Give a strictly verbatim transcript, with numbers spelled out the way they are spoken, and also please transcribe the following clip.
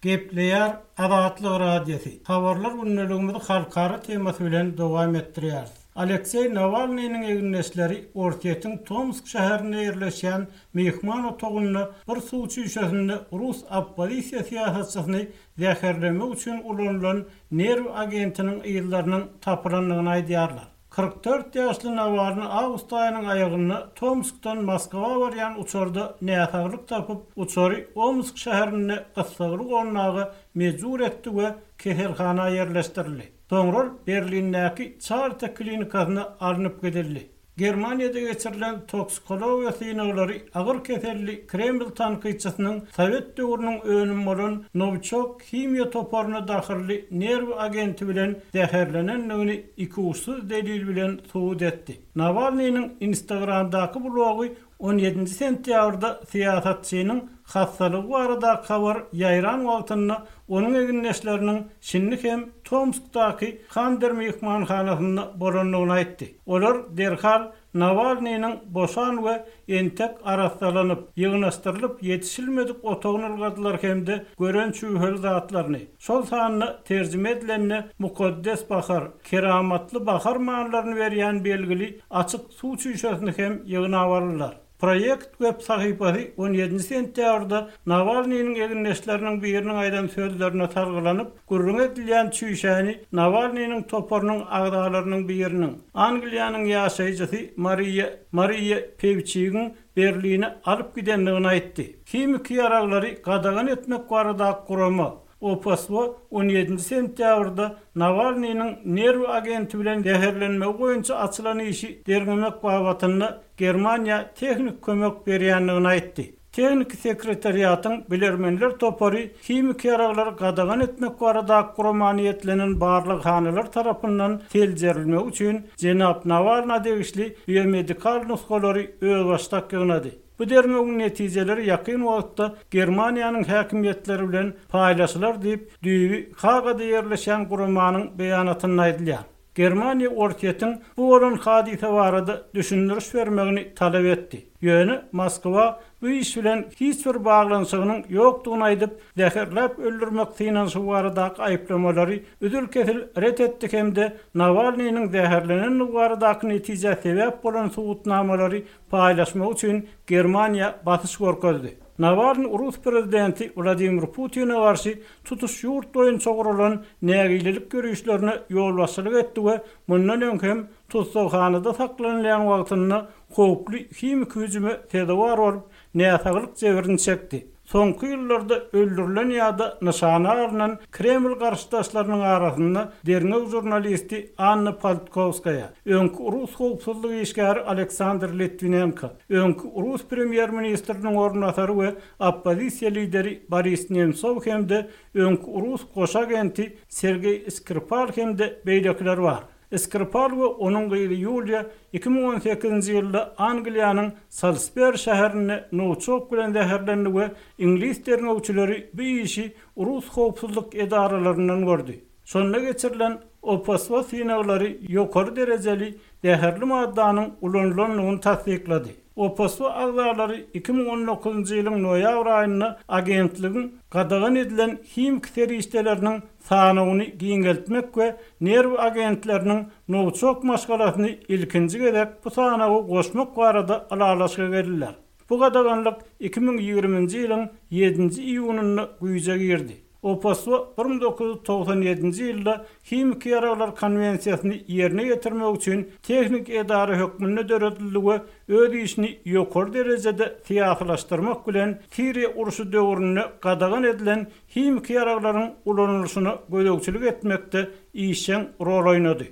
Gepleýär Azatlyk Radiosy. Habarlar gündeligimizi halkara temasy bilen dowam etdirýäris. Alekseý Nawalnynyň egindeşleri Orsýetiň Tomsk şäherinde ýerleşýän myhman otagynda bir suw çüýşesinde rus oppozisiýa syýasatçysyny zäherlemek üçin ulanylan nerw agentiniň yzlarynyň tapylandygyny aýdýarlar. Kyrk dört ýaşly Nawalny awgust aýynyň aýagynda Tomskdan Moskwa barýan uçarda näsaglyk tapyp, uçary Omsk şäherinde gyssagly gonmaga mejbur etdi we keselhana ýerleşdirildi. Soňra Berlindäki Charité klinikasyna alnyp gidildi. Germaniýada geçirilen toksikologiýa synaglary agyr keselli Kreml tankytçysynyň Sowet döwrüniň önümi bolan Nowiçok himiýa toparyna dahylly nerw agenti bilen zäherlenendigini ikuçsuz delil bilen subut etdi. Nawalnynyň Instagramdaky blogy on ýedinji sentýabrda syýasatçynyň hastalygy baradaky habar ýaýran wagtynda onuň egindeşleriniň şindi hem Tomskdaky Kander myhmanhanasynda bolandygyny aýtdy. Olar derhal Nawalnynyň boşan we entek arassalanyp, ýygnaşdyrylyp ýetişilmedik otagyny ylgadylar hem-de gören çüwheli zatlaryny, şol sanda terjime edilende mukaddes bahar, keramatly bahar manylaryny berýän belgili açyk suw çüýşesini hem ýygnap aldylar. Proýekt web sahypasy on ýedinji sentýabrda Nawalnynyň egindeşleriniň biriniň aýdan sözlerine salgylanyp, gürrüň edilýän çüýşäni Nawalnynyň toparynyň agzalarynyň biriniň, Angliýanyň ýaşaýjysy Mariýa, Mariýa Pewçigiň Berline alyp gidendigini aýtdy. Himiki ýaraglary gadagan etmek baradaky gurama O P S W on ýedinji sentýabrda Nawalnynyň nerw agenti bilen zäherlenmegi boýunça açylan işi derňemek babatynda Germaniýa tehnik kömek berýändigini aýtdy. Tehniki sekretariatyň bilermenler topary himiki ýaraglary gadagan etmek baradaky guramany ýetlenen barlaghanalar tarapyndan seljerilmegi üçin jenap Nawalna degişli biomedikal nusgalary özbaşdak ýygnady. Bu derňewiň netijeleri ýakyn wagtda Germaniýanyň häkimiýetleri bilen paýlaşylar diýip, düýbi Hagada ýerleşen guramanyň beýanatynda aýdylýar. Germaniýa Orsýetiň bu bolan hadysa barada düşündiriş bermegini talap etdi. Ýöne Moskwa bu iş bilen hiç bir baglanyşygynyň ýokdugyny aýdyp, zäherläp öldürmek synanyşygy baradaky aýyplamalary üzül-kesil ret etdi hem-de Nawalnynyň zäherlenendigi baradaky netijä sebäp bolan subutnamalary paýlaşmak üçin Germaniýa basyş görkezdi. Nawalny Rus prezidenti Wladimir Putine garşy tutuş ýurt boýunça guralan nägilelik görüşlerine ýolbaşçylyk etdi we mundan öň hem tussaghanada saklanylýan wagtynda howply himiki hüjüme sezewar bolup, näsaglyk jebrini çekdi. Soňky ýyllarda öldürilen ýa-da nyşana alynan Kreml garşydaşlarynyň arasynda derňew žurnalisti Anna Politkowskaýa, öňki Rus howpsuzlyk işgäri Aleksandr Litvinenko, öňki Rus premýer-ministriniň orunbasary we oppozisiýa lideri Boris Nemtsov hem-de öňki Rus goşa agenti Sergeý Skripal hem-de beýlekiler bar. Skripal we onuň gyzy Ýuliýa iki müň on sekizinji ýylda Angliýanyň Salisbury şäherinde Nowiçok bilen zäherlendi we iňlis derňewçileri bu işi Rus howpsuzlyk edaralaryndan gördi. Şonda geçirilen O P S W synaglary ýokary derejeli zäherli maddanyň ulanylandygyny tassyklady. O P S W agzalary iki müň on dokuzynjy ýylyň noýabr aýynda agentligiň gadagan edilen himiki serişdeleriniň sanawyny giňeltmek we nerw agentleriniň Nowiçok maşgalasyny ilkinji gezek bu sanawy goşmak barada ylalaşyga geldiler. Bu gadaganlyk iki müň ýigriminji ýylyň ýedinji iýunynda güýje girdi. O P S W bir müň dokuz ýüz togsan ýedinji ýylda Himiki ýaraglar konwensiýasyny ýerine ýetirmek üçin tehnik edara hökmünde döredildi we öz işini ýokary derejede syýasylaşdyrmak bilen Siriýa urşy döwründe gadagan edilen himiki ýaraglaryň ulanylyşyna gözegçilik etmekde işjeň rol oýnady.